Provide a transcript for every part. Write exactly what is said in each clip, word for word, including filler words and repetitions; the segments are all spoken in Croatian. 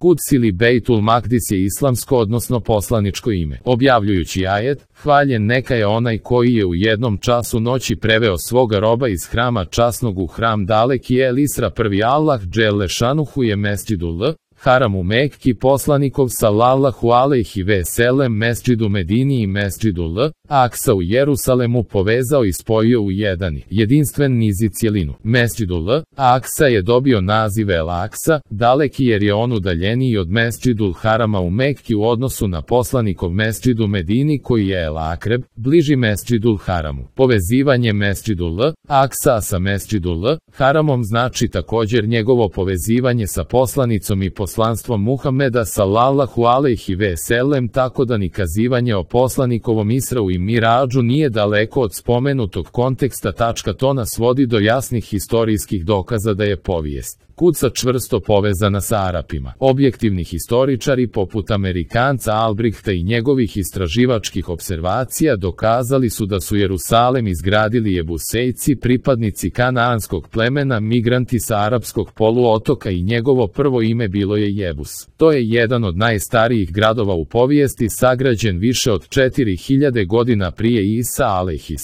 Kuds ili Bejtul Makdis je islamsko odnosno poslaničko ime. Objavljujući ajet, hvaljen neka je onaj koji je u jednom času noći preveo svoga roba iz hrama časnog u hram daleki El Isra prvi Allah dželle šanuhu je mesdžidul L, Haram u Mekki poslanikov sallallahu alejhi ve sellem mesdžidu Medini i mesdžidu L, Aksa u Jerusalemu povezao i spojio u jedan jedinstven niz i cjelinu. Mesdžidu L, Aksa je dobio naziv El Aksa, daleki jer je on udaljeniji od mesdžidul Harama u Mekki u odnosu na poslanikov mesdžidu Medini koji je El Akreb, bliži mesdžidul Haramu. Povezivanje mesdžidu L, Aksa sa mesdžidu L, Haramom znači također njegovo povezivanje sa poslanicom i poslanstvom Muhameda sallallahu alejhi ve sellem, tako da ni kazivanje o poslanikovom Israu i Miradžu nije daleko od spomenutog konteksta. To nas vodi do jasnih historijskih dokaza da je povijest Kudsa čvrsto povezana sa Arapima. Objektivni historičari poput Amerikanca Albrighta i njegovih istraživačkih observacija dokazali su da su Jerusalem izgradili Jebusejci, pripadnici kanaanskog plemena, migranti sa arapskog poluotoka i njegovo prvo ime bilo je Jebus. To je jedan od najstarijih gradova u povijesti, sagrađen više od četiri hiljade godina prije Isa alejhi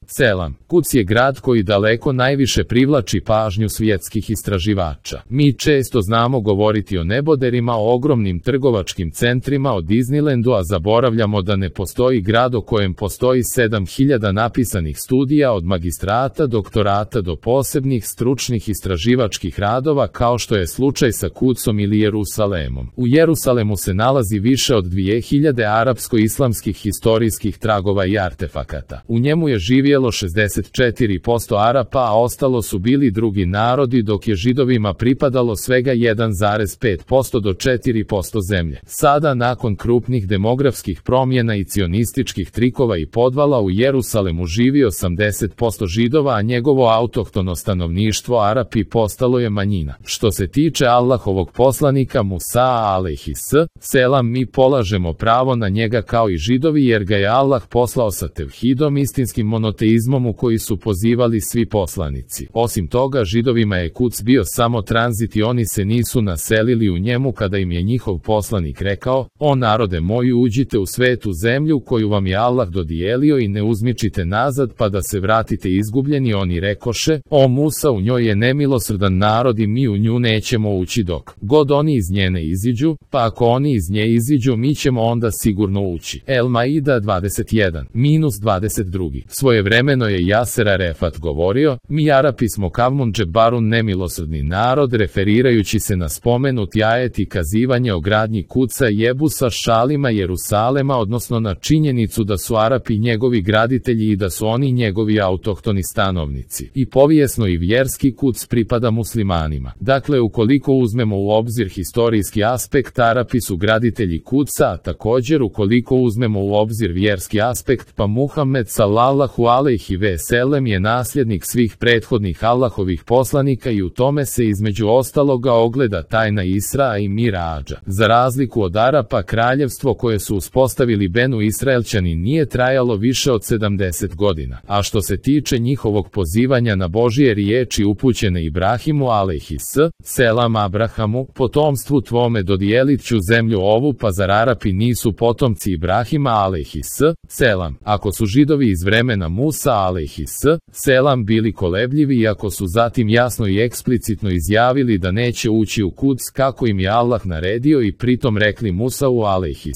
selam. Kuds je grad koji daleko najviše privlači pažnju svjetskih istraživača. Mi često znamo govoriti o neboderima, o ogromnim trgovačkim centrima, o Disneylandu, a zaboravljamo da ne postoji grad o kojem postoji sedam hiljada napisanih studija od magistrata, doktorata do posebnih stručnih istraživačkih radova kao što je slučaj sa Kudsom ili Jerusalemom. U Jerusalemu se nalazi više od dvije hiljade arapsko-islamskih historijskih tragova i artefakata. U njemu je živjelo šezdeset četiri posto Arapa, a ostalo su bili drugi narodi, dok je Židovima pripadalo svega jedan zarez pet posto do četiri posto zemlje. Sada, nakon krupnih demografskih promjena i cionističkih trikova i podvala, u Jerusalemu živi osamdeset posto Židova, a njegovo autohtono stanovništvo Arapi postalo je manjina. Što se tiče Allahovog poslanika Musa alejhi selam, mi polažemo pravo na njega kao i Židovi, jer ga je Allah poslao sa tevhidom, istinskim monoteizmom u koji su pozivali svi poslanici. Osim toga, Židovima je Kuds bio samo tranzit i oni se nisu naselili u njemu kada im je njihov poslanik rekao: o narode moji, uđite u svetu zemlju koju vam je Allah dodijelio i ne uzmičite nazad pa da se vratite izgubljeni. Oni rekoše: o Musa, u njoj je nemilosrdan narod i mi u nju nećemo ući dok god oni iz nje ne iziđu, pa ako oni iz nje iziđu mi ćemo onda sigurno ući. El Maida dvadeset jedan dvadeset dva. Svojevremeno je Jaser Arefat govorio: mi Arapi smo Kavmun Džebarun, nemilosrdni narod, referirajući se na spomenuti ajet i kazivanje o gradnji Kudsa, Jebusa, Šalima, Jerusalema, odnosno na činjenicu da su Arapi njegovi graditelji i da su oni njegovi autohtoni stanovnici. I povijesno i vjerski Kuds pripada muslimanima. Dakle, ukoliko uzmemo u obzir historijski aspekt, Arapi su graditelji Kudsa, a također ukoliko uzmemo u obzir vjerski aspekt, pa Muhammed sallallahu alejhi ve sellem je nasljednik svih prethodnih Allahovih poslanika i u tome se između ostaloga ogleda tajna Israa i Miradža. Za razliku od Arapa, kraljevstvo koje su uspostavili Benu Israelčani nije trajalo više od sedamdeset godina. A što se tiče njihovog pozivanja na Božije riječi upućene Ibrahimu alejhi selam, Abrahamu, potomstvu tvome dodijelit ću zemlju ovu, pa zar Arapi nisu potomci Ibrahima alejhi selam? Ako su Židovi iz vremena Musa alejhi selam bili kolebljivi i ako su zatim jasno i eksplicitno izjavili da neće ući u Kuds kako im je Allah naredio i pritom rekli Musau alejhi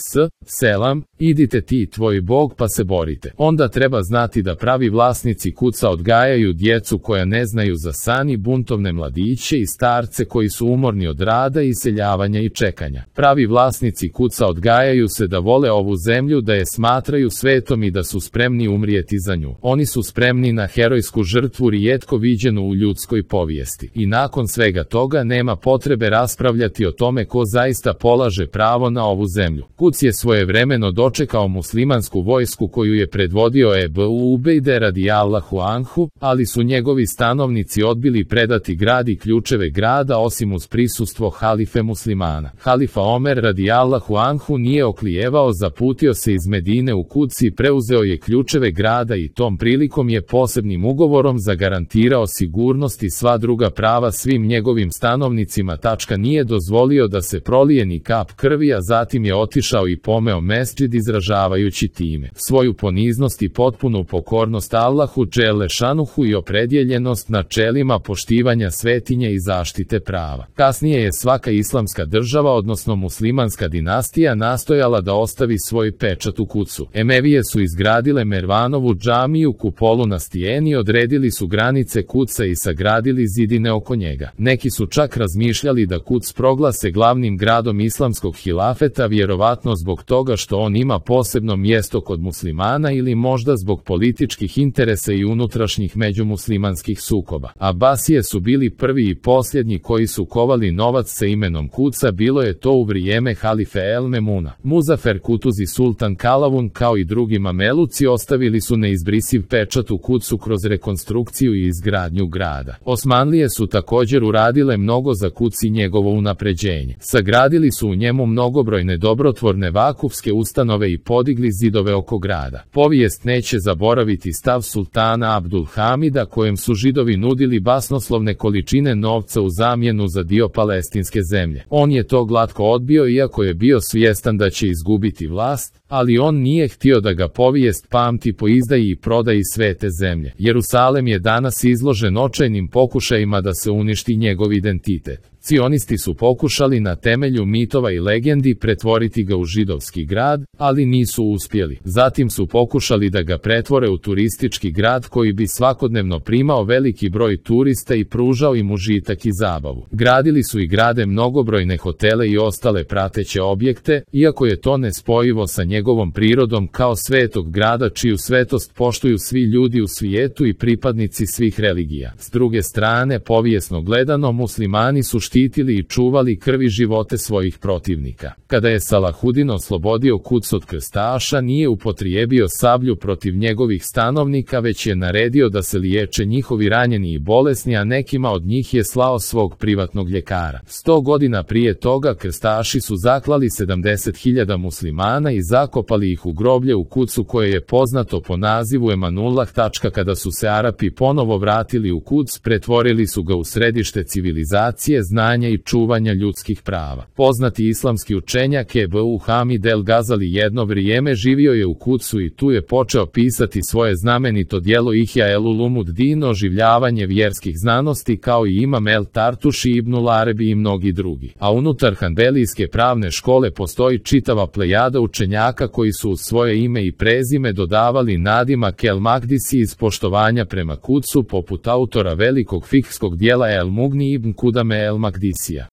selam: idite ti i tvoj Bog pa se borite, onda treba znati da pravi vlasnici Kudsa odgajaju djecu koja ne znaju za san i buntovne mladiće i starce koji su umorni od rada, iseljavanja i čekanja. Pravi vlasnici Kudsa odgajaju se da vole ovu zemlju, da je smatraju svetom i da su spremni umrijeti za nju. Oni su spremni na herojsku žrtvu rijetko viđenu u ljudskoj povijesti. I nakon svega toga nema potrebe raspravljati o tome ko zaista polaže pravo na ovu zemlju. Kuds je svojevremeno došao dočekao muslimansku vojsku koju je predvodio Ebu Ubejde radijallahu anhu, ali su njegovi stanovnici odbili predati grad i ključeve grada osim uz prisustvo halife muslimana. Halifa Omer radijallahu anhu nije oklijevao, zaputio se iz Medine u Kuds i preuzeo je ključeve grada i tom prilikom je posebnim ugovorom zagarantirao sigurnost i sva druga prava svim njegovim stanovnicima. Tačka nije dozvolio da se prolije ni kap krvi, a zatim je otišao i pomeo mesdžid izražavajući time svoju poniznost i potpunu pokornost Allahu dželle šanuhu i opredjeljenost načelima poštivanja svetinje i zaštite prava. Kasnije je svaka islamska država, odnosno muslimanska dinastija, nastojala da ostavi svoj pečat u Kudsu. Emevije su izgradile Mervanovu džamiju, kupolu na stijeni, odredili su granice Kudsa i sagradili zidine oko njega. Neki su čak razmišljali da Kuds proglase glavnim gradom islamskog hilafeta, vjerovatno zbog toga što on ima posebno mjesto kod muslimana ili možda zbog političkih interesa i unutrašnjih međumuslimanskih sukoba. Abasije su bili prvi i posljednji koji su kovali novac sa imenom Kudsa, bilo je to u vrijeme halife El Memuna. Muzafer Kutuzi sultan Kalavun kao i drugi mameluci ostavili su neizbrisiv pečat u Kudsu kroz rekonstrukciju i izgradnju grada. Osmanlije su također uradile mnogo za Kuds i njegovo unapređenje. Sagradili su u njemu mnogobrojne dobrotvorne vakufske ustanove i podigli zidove oko grada. Povijest neće zaboraviti stav sultana Abdul Hamida kojem su Židovi nudili basnoslovne količine novca u zamjenu za dio palestinske zemlje. On je to glatko odbio iako je bio svjestan da će izgubiti vlast, ali on nije htio da ga povijest pamti po izdaji i prodaji svete zemlje. Jerusalem je danas izložen očajnim pokušajima da se uništi njegov identitet. Cionisti su pokušali na temelju mitova i legendi pretvoriti ga u židovski grad, ali nisu uspjeli. Zatim su pokušali da ga pretvore u turistički grad koji bi svakodnevno primao veliki broj turista i pružao im užitak i zabavu. Gradili su i grade mnogobrojne hotele i ostale prateće objekte, iako je to nespojivo sa njegovom prirodom kao svetog grada čiju svetost poštuju svi ljudi u svijetu i pripadnici svih religija. S druge strane, povijesno gledano, muslimani su štitili i čuvali krvi živote svojih protivnika. Kada je Salahudin oslobodio Kuds od krstaša, nije upotrijebio sablju protiv njegovih stanovnika, već je naredio da se liječe njihovi ranjeni i bolesni, a nekima od njih je slao svog privatnog ljekara. Sto godina prije toga krstaši su zaklali sedamdeset hiljada muslimana i zakopali ih u groblje u Kudsu koje je poznato po nazivu Emanullah. Kada su se Arapi ponovo vratili u Kuds, pretvorili su ga u središte civilizacije, znanja i čuvanja ljudskih prava. Poznati islamski učenjak Ebu Hamid el Gazali jedno vrijeme živio je u Kudsu i tu je počeo pisati svoje znamenito djelo Ihya el Ulumuddin, oživljavanje vjerskih znanosti, kao i Imam el Tartuši, Ibnul Arabi i mnogi drugi. A unutar Hanbelijske pravne škole postoji čitava plejada učenjaka koji su uz svoje ime i prezime dodavali nadimak el Magdisi iz poštovanja prema Kudsu, poput autora velikog fikskog djela El Mugni ibn Kudame el Magdisija.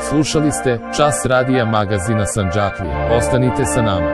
Slušali ste Čas radija magazina Sandžaklija. Ostanite sa nama.